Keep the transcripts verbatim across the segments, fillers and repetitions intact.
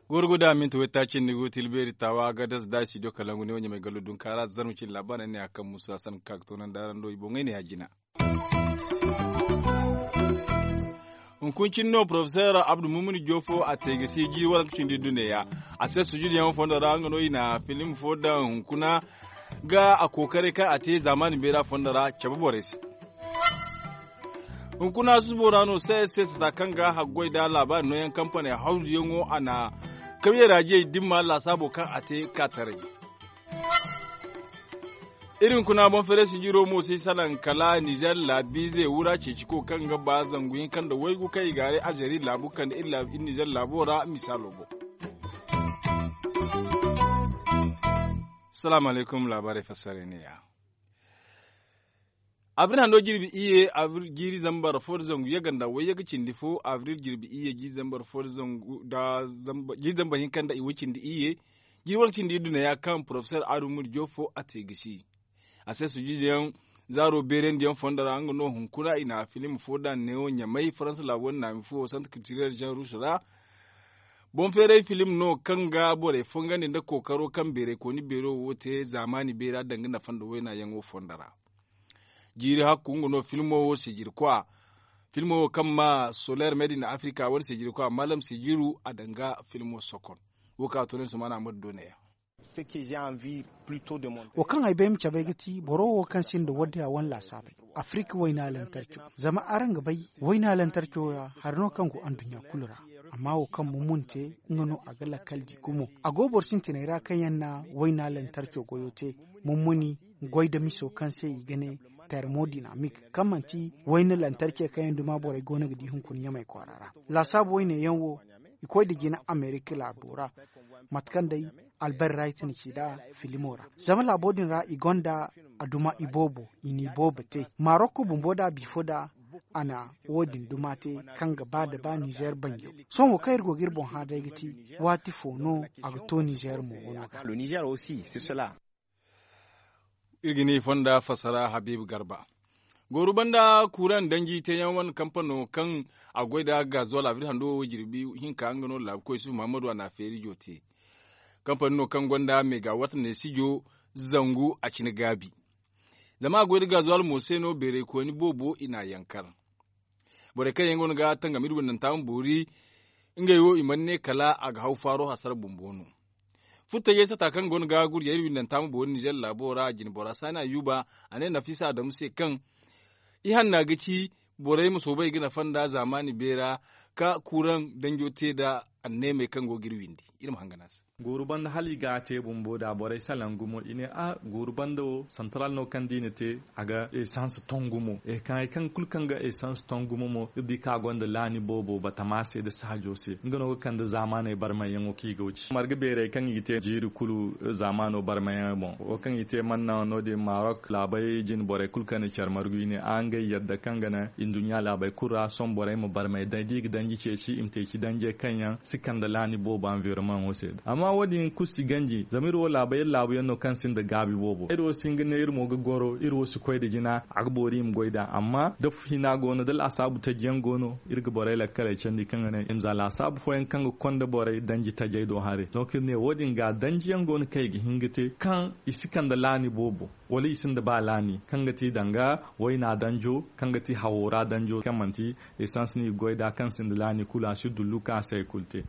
Gorgo da minti waytaaci ni go tilbeeri taawa ga dasa da studio kalangu ne wo ɲamay gallo dunkaara zarma cine laabaarey ne a kaŋ musa sanka ka ga toonandi araŋ do i boŋey ne ya jina. Hunkuna cine no porofeseer abdu mumuni joofo a te ga si jiiri waranka cindi duneya. A se sujuduyaŋ fondo ra nga no i na filim fo daŋ hunkuna ga a kookaray kaŋ a te zaamaani beera fondo ra cabe borey se. Hunkuna susubo ra no se se sata kaŋ ga haggoy da laabaari nooyaŋ kampaney hawzuyaŋo a na kawyey ra jiyey dimma laasaabo kaŋ a te ka taray. Iri hunkuna boŋ feeray sijiro mo si salaŋ kala nizer laabiize wura ceeciko kaŋ ga ba zangu hinka nda waygu kaŋ i gaaray alzeri laabu kande iri nizer laabo ra misaalo boŋ. Salaamu alaykum laabaarey fassarey ne ya. Abril hando jirbi iyye jiiri zambar fo da zangu yaganda wayyaga cindi fo abril jirbi iyye jiiri zambar fo da zangu da jiiri zambar hinka nda iway cindi iyye. Jiiri waranka cindi iddu ne ya kaŋ porofeseer aadu muri joofo a te gisi. A se sujuduyaŋ zaaro beerandiyaŋ fondo ra nga no hunkuna i na filim fo da neewo ɲamay faransa laabo naami fo santre kiltirel jean rouge ra. Boŋ feeray filim no kaŋ ga borey fongandi nda kookaro kaŋ beeraykooni beero wo te zaamaani beera danga nafa nda waynayaŋo fondo ra. Jiiri hakku nga no filmo wo sijirkwa filmo wo kaŋ ma soler medina afrika wane sijirkwa malam sijiru a danga filmo sokon. Wo ka to ne sumana amadu do ne ya. Wo kaŋ ay bay ma cabe ga ti boro wo kaŋ sinda wadda ya wane laasaabey afirika wayna lantarco. Zama araŋ ga bay wayna lantarco ya hari no kaŋ go anduɲɲa kulu ra. Amma wo kaŋ mummun te nga no a ga lakkal di gumo a go boro sintiney ra kaŋ yaŋ na wayna lantarco goyo te. Mummuni goy da miso kaŋ se i ga ne termodinamik kaŋ manti wayna lantarce kaŋ yaŋ duma borey go no ga di hunkuna ɲamey kwaara ra. Laasaabu wayne yaŋ wo i koy da jina amerika laabo ra. Mate kaŋ day albert wright na ci nd'a filimo ra zama laabo din ra i gonda a duma iboobo i na iboobo te marokko bumbo da bifo da a na wo- din duma te kaŋ ga ba da ba nizer banjo. Sohõ wo kaŋ iri go ga iri boŋ hã day ga ti waati fo no a ga to nizer mo wano ga. Iri ga ne i fonda fassara habiibu garba. Gooru banda kuuraŋ danji teeyaŋ wane kampano kaŋ a goy nda gazuwal abril hando wo jirbi hinka nga no laabukoy yusuf muhammadu a na a feeri jo te. Kampani no kaŋ gonda megawatt ne sijo zangu a cine gaabi. Zama a goy nda gazuwal mo se no beeraykooni boobo i n'a yankar. Borey kaŋ yaŋ go no ga tangam iri windanta ma boori ngey wo i mana ne kala a ga haw faaro hasara bumbo no. Furtajey sata kaŋ go no ga gurjay iri windanta ma boori nizer laabo ra a jine bora saani ayuba a ne nafisa adamu se kaŋ i hanna ga ci borey ma soobay ga nafa nda zaamaani beera ka kuuraŋ danjo te nda anneemey kaŋ go ga iri windi. Iri ma hangan a se. Gooru banda hala i ga a te bumbo da borey salaŋ gumo i ne a gooru banda wo santaral no kaŋ da i na te a ga esans ton gumo e kaŋ hari kaŋ kulu kaŋ ga esans ton gumo mo iri di kaŋ a gonda laani boobo batama se nda saajo se nga no ga kande zaamaaney barmayyaŋo kaŋ i go ci marga beerey kaŋ i ga te jiiri kulu zaamaano barmayyaŋey boŋ wo kaŋ i te manna no- din marok laabey jine borey kulu kaŋ na care margu i ne a ngey yadda kaŋ ga naŋ i nduɲɲa laabey kulu ra sohõ borey ma barmay day da i ga danji ceeci i ma te ci danjey kaŋ yaŋ si kande laani boobo anvironmaŋo se. Amma wo- din kulu si ganji zama iri wo laabey iri laabu yaŋ no kaŋ sinda gaabi boobo iri wo si hin ga ne iri mo ga goro iri wo si koy nda jina a ga boori i ma goy nd'a amma da hina go no da laasaabu taji yaŋ go no iri ga borey lakkaley candi kaŋ ga ne i ma za laasaabu fooyaŋ kaŋ ga konda borey danji tajey do haray. Donc iri ne wo- din ga danji yaŋ go no kaŋ i ga hin ga te kaŋ i si kande laani boobo wala i sinda ba laani kaŋ ga ti danga wayna danjo kaŋ ga ti hawo ra danjo kaŋ manti esans no i ga goy nd'a kaŋ sinda laani kulu a si dullu kaŋ a si hari kulu te.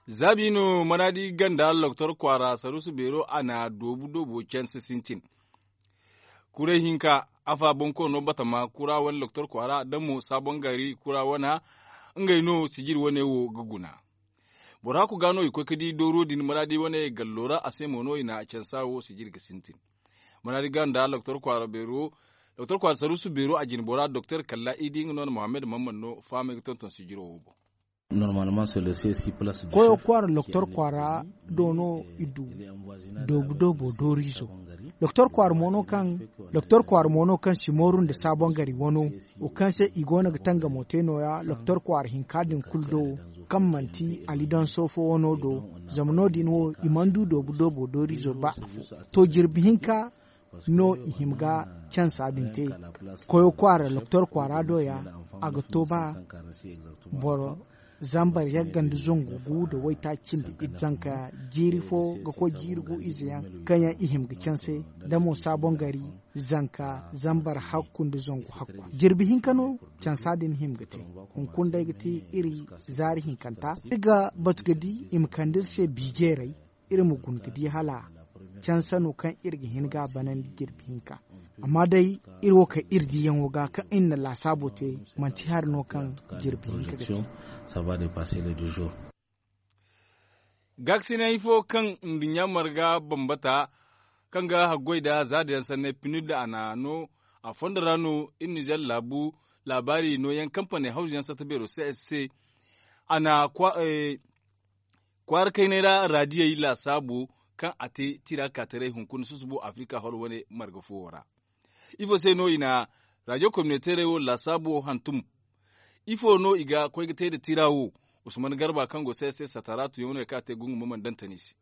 Zaabi no manaadi ganda loktor kwaara saruusu beero a na doobu doobo canse sintin. Kuray hinka afa bonkoono batama kura wane loktor kwaara da mo saabon gari kura wana ngey no sijir wane wo ga guna. Boro hakku ga no i koy ga di dooro din maraadi wane gallo ra a se mo no i na cansa wo sijir ga sintin. Maraadi ga nda doktor kwaara saruusu beero a jine bora doktor kalla i di nga no na mohammed mamman no fahamay ga tonton sijiro wo boŋ. Koyo kwaara loktor kwaara do no i du doobu doobo dooriizo. Doktor kwaara mo no kaŋ si mooru nda saabon gari wano, wo kaŋ se i go no ga tangamo te no- ya doktor kwaara hinka din kulu do, kaŋ manti alidonso fo wano do. Zama no- din wo i mana du doobu doobo dooriizo ba afo. To jirbi hinka no i hima ga cansa din te. Koyo kwaara doktor kwaara do ya, a ga to ba boro zambar yagga nda zangu gu nda waytaaci nda zanka jiiri fo ga koy jiiri gu ize yaŋ, kaŋ yaŋ i hima ga canse, da mo saabon gari zanka zambar hakku nda zangu hakku. Jirbi hinka no cansa din hima ga te. Hunkuna day ga ti iri zaari hinkanta iri ga batu ga di i ma kande iri se bi jeeray, iri ma guna ga di hala canse no kaŋ iri ga hin ga a banandi jirbi hinka. Amma day iri wo kaŋ iri diyaŋo ga kaŋ iri na laasaabo te, manti hari no kaŋ jirbi hinka ga te. Gaakasinay fo kaŋ nduɲɲa marga bambata, kaŋ ga haggoy nda zaada yaŋ sanney pinir nda a na no a fondo ra no iri nizer laabu laabaari nooyaŋ kampane hawzu yaŋ satta beero se a na kwaara kaynay ra raadiyey laasaabo kaŋ a te tira kaataray hunkuna susubo afirika horo wane marga foowo ra. Ifo se no i na raadiyo kominoteerey wo laasaabo hantum? Ifo no i ga koy ga te nda tira wo? Usman garba kaŋ go se se sataraatu yaŋ no ya kaŋ a te gungu ma mana dantani se.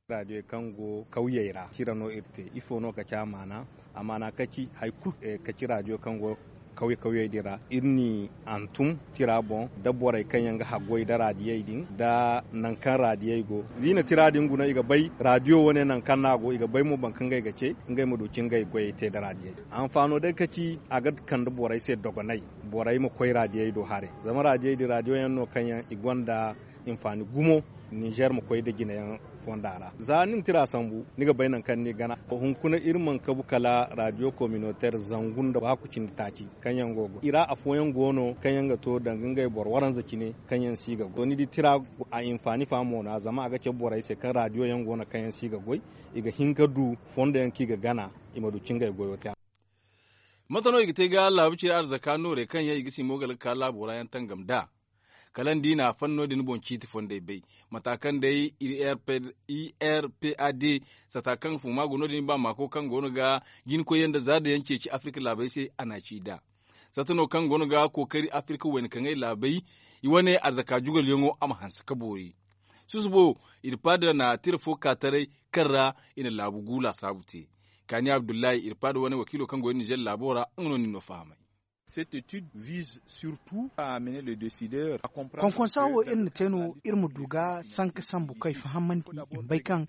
Raadiyo kaŋ go kawyey ra tira no iri te. Ifo no ka ci a maana? A maana ka ci hari kulu ka ci raadiyo kaŋ go kawye kawyey din ra iri n'i hantum tira boŋ, da borey kaŋ yaŋ ga haggoy nda raadiyey din nda nangu kaŋ raadiyey go. Za i na tira din guna i ga bay raadiyo wane nangu kaŋ no a go i ga bay mo boro kaŋ ngey ga ce ngey ma du ka ngey goyey te nda raadiyey. Hanfaano day ka ci a ga kande borey se dogonay. Borey ma koy raadiyey do haray zama raadiyey din raadiyo yaŋ no kaŋ yaŋ i gonda hinfaani gumo. Nizer ma koy nda jine yaŋ fonda ra za ni na tira sambu ni ga bay nangu kaŋ ni gana. Hunkuna iri mana kabu kala raadiyo kominoteer zangu nda waaku cindi taaci kaŋ yaŋ go ga goy i ra afooyaŋ go no kaŋ yaŋ ga to danga ngey boro waranza cine kaŋ yaŋ si ga goy ni di tira a hinfaani fa mo no zama a ga cabe borey se kaŋ raadiyo yaŋ go no kaŋ yaŋ si ga goy i ga hin ga du fondo yaŋ kaŋ i ga gana i ma du ka ngey goyo te. Mate no i ga te ga laabu cire arzaka noorey kaŋ yaŋ i ga si moogal ga ka laabo ra yaŋ tangam nd'a? Kala ni di i na a fan no- din boŋ ciiti fondey bay mata kaŋ day i r p a d sata kaŋ fuma go no- din i ba maako kaŋ go no ga jinkoyyaŋ nda zaada yaŋ ceeci afirka laabey se a na ci nd'a. Sata no kaŋ go no ga kookari afirka wayna kaŋ ay laabey i wane arzaka jugalyaŋo a ma hanse ka boori. Susubo irpada na tira fo ka taray kaŋ ra i na laabu gu laasaabu te. Kaani abdullahi irpada wane wakiilo kaŋ go iri nizer laabo ra nga no nin no fahamay. Konkonsa wo iri na te no iri ma du ga sanka sambu kaŋ ay fahamandi i ma bay kaŋ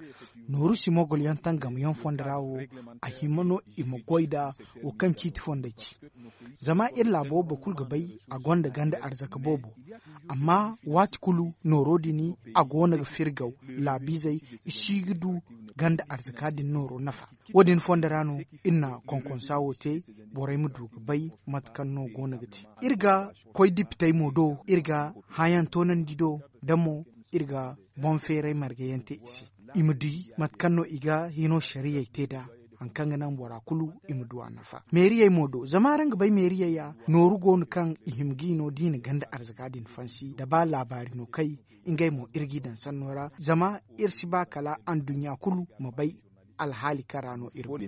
nooru si mogol yaŋ tangam yaŋ fondo ra wo a hima no i ma goy nda wo kaŋ ciiti fondey ci. Zama iri laabo boro kulu ga bay a gonda ganda arzaka boobo. Amma waati kulu nooro din a go no ga firgaw laabiizey i si ga du ganda arzaka din nooro nafa. Wo- din fondo ra no iri na konkonsa wo te borey ma du ga bay mate kaŋ no go no ga te iri ga koy dipitey mo do iri ga hããyaŋ toonandi do da mo iri ga boŋ feeray marga yaŋ te i se. I ma di mate kaŋ no i ga hino sariyey te nd'a hari kaŋ ga naŋ bora kulu i ma du a nafa meeriyey mo do zama araŋ ga bay meeriyey ya nooru go no kaŋ i hima ga i no da i na ganda arzaka din fansi da ba laabaari no kay. Ngey mo iri g'i daŋ sanno ra zama iri si ba kala anduɲɲa kulu ma bay alhaali kaŋ ra no iri go.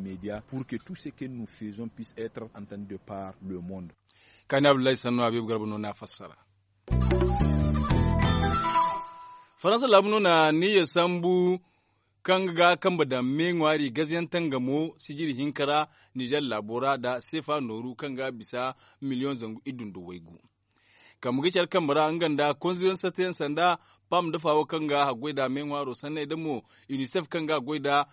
Kaani abdullahi sanno habiibu garba no n'a fassara. Faransa laabu no na niyya sambu kaŋ ga ga kambe daŋ me ŋwaari gaziyaŋ tangamo sijiri hinka ra nizer laabo ra nda seefa nooru kaŋ ga bisa miliyoŋ zangu iddu nda waygu. Kambe ga care kambe ra nga nda konzuyaŋ satayaŋ sanda pam nda faawo kaŋ ga haggoy nda me ŋwaaro sanney nda mo unicef kaŋ ga haggoy nda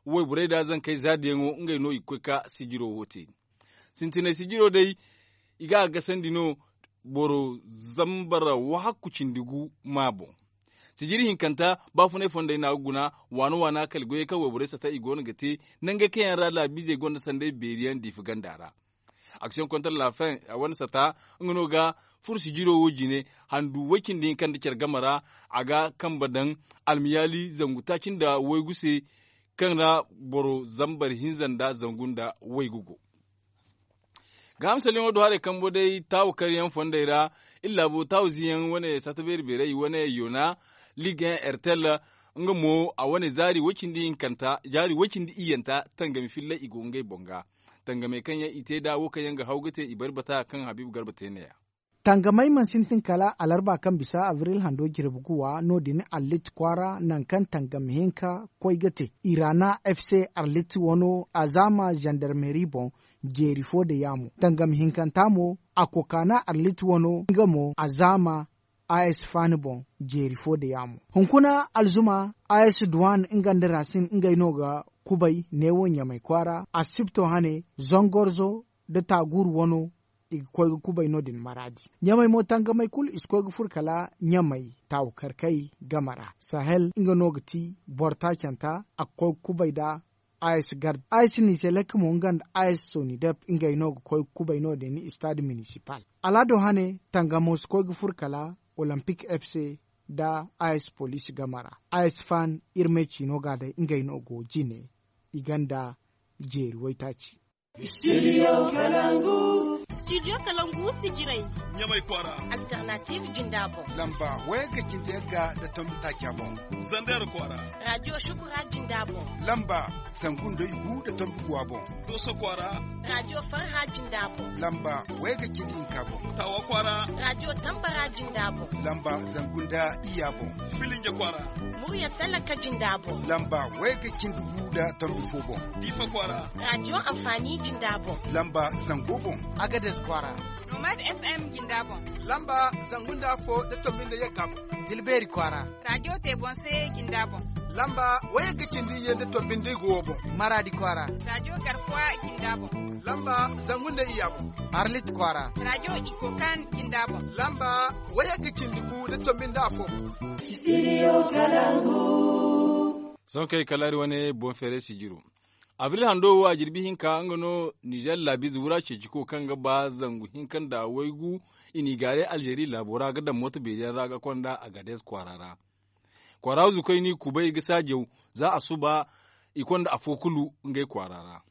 wayborey nda zankey zaadiyaŋo ngey no i ga koy ka sijiro wo te. Sintinay sijiro day i ga a gasandi no boro zambar wahakku cindi gu ma boŋ. Sijiri hinkanta baafunay fondey no a ga guna waana waana kala goyey kaŋ wayborey sata i go no ga te nangey kaŋ yaŋ ra laabiizey gonda sanday beeri yaŋ diifa ganda ra. Action kontra la fin a wane sata nga no ga furo sijiro wo jine handu way cindi hinka nda care game ra. A ga kambe daŋ almiyaali zangu taaci nda waygu se kaŋ ra boro zambar hinza nda zangu nda waygu go. Ga hamsalyaŋo do haray kambo day taawu karyaŋ fondey ra iri laabo taawu ziyaŋ wane sata beeri beerey wane yona ligue un ertel. nga mo a wane zaari way-cindi hinkanta zaari way-cindi iyyanta tangami fillay i go ngey boŋ ga. Tangamey kaŋ yaŋ i te nd'a wo kaŋ yaŋ ga haw ga te i bari bata kaŋ habiibu garba te neeya. Tangamey mana sintin kala alarba kaŋ bisa abril hando jirbi guwa no- din arlit kwaara nangu kaŋ tangam hinka koy ga te irana f c arlit wano azaama zandarmeri boŋ. Jeeri fo nda yaamo tangam hinkanta mo a kokaana arlit wano nga mo azaama a s faani boŋ. Jeeri fo nda yaamo hunkuna alzuma a s duwan nga nda rasin ngey no ga kubay neewo ɲamay kwaara asibto hane zangorzo nda taaguuru wano. I ga koy ga kubay no- din maraadi ɲamay mo tangamey kulu i si koy ga furo kala ɲamay taawu karkay game ra sahel nga no ga ti boro taacanta a ga koy ga kubay nd'a. A s gar a s nizelek mo nga nda a s sonidep ngey no ga koy ga kubay no- din istaad minisipal. Alaado hane tangamo si koy ga furo kala olimpik f c nda a s poliisi game ra. A s fan iri me ciino ga day ngey no go jine i gonda jeeri waytaaci. Studio kalangu. Studio kalangu sijirey. Ɲamay kwaara. Alternative jinda boŋ. Lamba wayagga cindi yagga nda tombi taaca boŋ. Zander kwaara. Radio shukura jinda boŋ. Lamba zangu nda igu nda tombi guwa boŋ. Dooso kwaara. Radio farha jinda boŋ. Lamba wayagga cindi hinka boŋ. Taawa kwaara. Radio tambara jinda boŋ. Lamba zangu nda iyya boŋ. Filinje kwaara. Murya talaka jinda boŋ. Lamba wayagga cindi gu nda tombi fo boŋ. Diifa kwaara. Radio anfaani jinda boŋ. Lamba zango boŋ. Agades kwaara. Nomad f m jinda boŋ. Lamba zangu nda afo nda tombi nda yagga boŋ. Dilbeeri kwaara. Radio tebonse jinda boŋ. Lamba wayagga cindi iyye nda tombi nda igu wo boŋ. Maraadi kwaara. Radio garkuwa jinda boŋ. Lamba zangu nda iyya boŋ. Arlit kwaara. Radio ikokan jinda boŋ. Lamba wayagga cindi gu nda tombi nda afo boŋ. Studio kalangu. Sohõ kay kala iri wane boŋ feeray sijiro. Abril hando wo a jirbi hinka nga no nizer laabiize wura ceeciko kaŋ ga ba zangu hinka nda waygu. I n'i gaaray alzeeri laabo ra ga daŋ mooto beeri yaŋ ra ga konda agades kwaara ra. Kwaara zukay n'i kubay ga saajaw za a suba. I konda afo kulu ngey kwaara ra.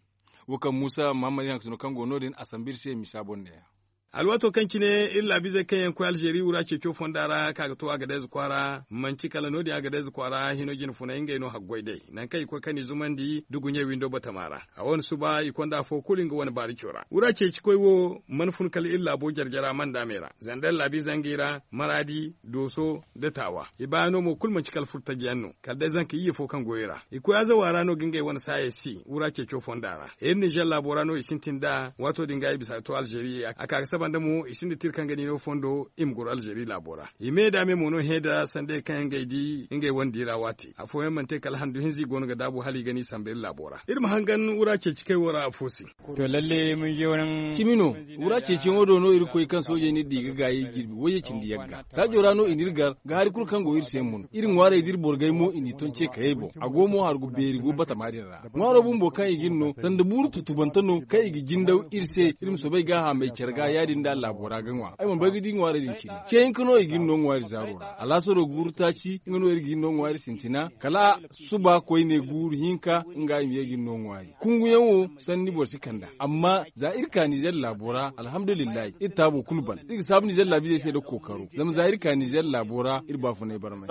Wo kaŋ muusa mahammad yaŋ ga sino kaŋ go no- din a sambu iri se misa boŋ neeya. Alwaato kaŋ cine iri laabiizey kaŋ yaŋ koy alzeeri wura ceeco fonda ra ka ga to agadez kwaara manci kala no- din agadez kwaara hino jine funay ngey no haggoy day nangu kaŋ i koy kaŋ i zumandi duguɲey windo batama ra. A wane suba i konda afo kulu nga wane baarico ra wura ceeci koy wo mana fun kala iri laabo jare-jara mandaamey ra zandar laabiize ngey ra maraadi dooso nda taawa. I baayaŋ no mo kulu manci kala furtaji yaŋ no kala day zanka iyye fo kaŋ goyo ra i koy azawa ra no ga ngey wane saayey si wura ceeco fonda ra. Iri nizer laabo ra no i sintin nd'a waato din ga i bisa ga to alzeeri a ka ga saba nda mo i sinda tira kaŋ ga ni no fondo i ma goro alzeeri laabo ra. I me nda me mo no hẽ nda sandey kaŋ yaŋ ga ay di ngey wane di ra waati afooyaŋ mana te kala handu hinza i go no ga daabu hala i ga ni samba iri laabo ra iri ma hangan wura ceeci kay wo ra afo se. To lalle mun je wani cimi no. Wura ceeciyaŋo do no irkoy kaŋ soojey n'iri di ga gaayi jirbi wayye cindi yagga saajo ra no i n'iri gar ga hari kulu kaŋ go iri se mun iri ŋwaarey d'iri borgey mo i n'i ton ce kayey boŋ a go mo hargu beeri go batama din ra. Ŋwaaro bumbo kaŋ i g'iri no sanda buuru tutubante no kaŋ i ga jindaw iri se iri ma soobay gaahamey care ga ya-din da laabo ra ga ŋwa ay mana bay ga di ŋwaarey din cine ce hinka no i g'iri no ŋwaari zaaro ra alaasaro guuru taaci nga no iri g'iri no ŋwaari sintina kala suba koyne guuru hinka nga i ma ye g'iri no ŋwaari kunguyaŋo sanni boro si kand'a amma za iri ka nizer laabo ra alhamdulillahi iri taabo kulu ban iri ga saabu nizer laabiizey se nda kookaro zama za iri ka nizer laabo ra iri baafunay barmay.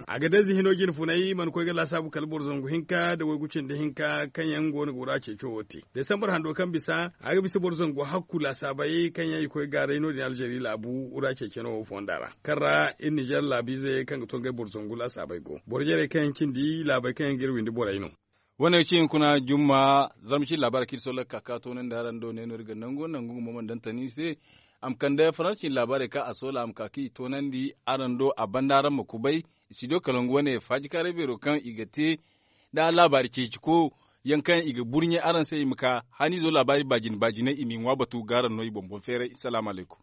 A ga day zihino jine funay mana koy ga laasaabu kala boro zangu hinka nda waygu cindi hinka kaŋ yaŋ go no ga wura ceeco wo te desambar hando kaŋ bisa a ga bisa boro zangu hakku laasaabey kaŋ yaŋ i koy gaaray no- din alzeeri laabu wura ceeceno wo fonda ra kaŋ ra iri nizer laabiizey kaŋ ga to ngey boro zangu laasaabey go boro jarey kaŋ yaŋ cindi laabey kaŋ yaŋ ga iri windi borey no. Wane ga ci hunkuna jumma zarma cine laabaarey kaŋ iri sohõ lakkal ka toonandi araŋ do ne no iri ga nangu nangu nga mo mana daŋ tani iri se. A ma kande faransa cine laabaarey kaŋ a soola a ma ka kaŋ i toonandi araŋ do a banda araŋ ma kubay. Studio kalangu wane faajikaaray beero kaŋ i ga te nda laabaari ceeciko yaŋ kaŋ i ga burɲe araŋ se i ma ka haniizo laabaari baajine baajiney i m'i ŋwa batu ga araŋ no i boŋ boŋ feeray salaamu alaykum.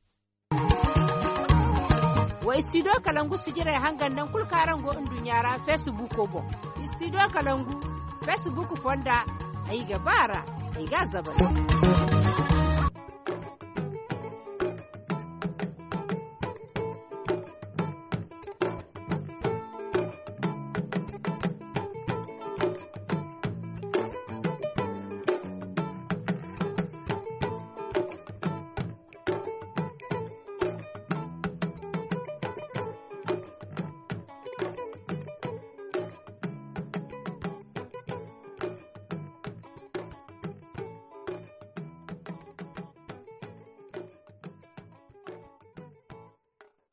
Wa studio kalangu sijirey hangan nangu kulu kaŋ araŋ go nduɲɲa ra feesibuuko boŋ. Studio kalangu feesibuuku fonda ay ga ba a ra ay ga a zabari.